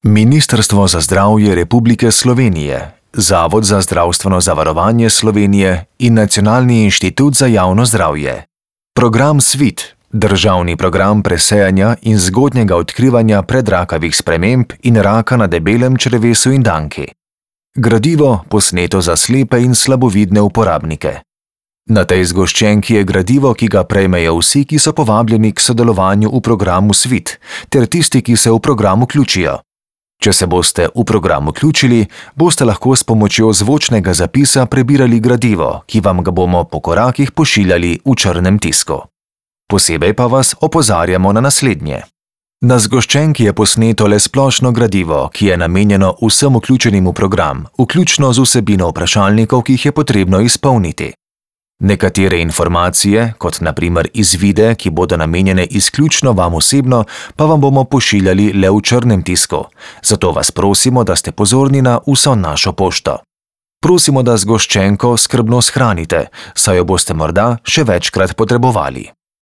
Ministrstvo za zdravje Republike Slovenije, Zavod za zdravstveno zavarovanje Slovenije in Nacionalni inštitut za javno zdravje. Program SVIT, državni program presejanja in zgodnjega odkrivanja predrakavih sprememb in raka na debelem črevesu in danki. Gradivo, posneto za slepe in slabovidne uporabnike. Na tej zgoščenki je gradivo, ki ga prejmejo vsi, ki so povabljeni k sodelovanju v programu SVIT, ter tisti, ki se v program vključijo. Če se boste v program vključili, boste lahko s pomočjo zvočnega zapisa prebirali gradivo, ki vam ga bomo po korakih pošiljali v črnem tisku. Posebej pa vas opozarjamo na naslednje. Na zgoščenki je posneto le splošno gradivo, ki je namenjeno vsem vključenim v program, vključno z vsebino vprašalnikov, ki jih je potrebno izpolniti. Nekatere informacije, kot na primer izvide, ki bodo namenjene izključno vam osebno, pa vam bomo pošiljali le v črnem tisku. Zato vas prosimo, da ste pozorni na vso našo pošto. Prosimo, da zgoščenko skrbno shranite, saj jo boste morda še večkrat potrebovali.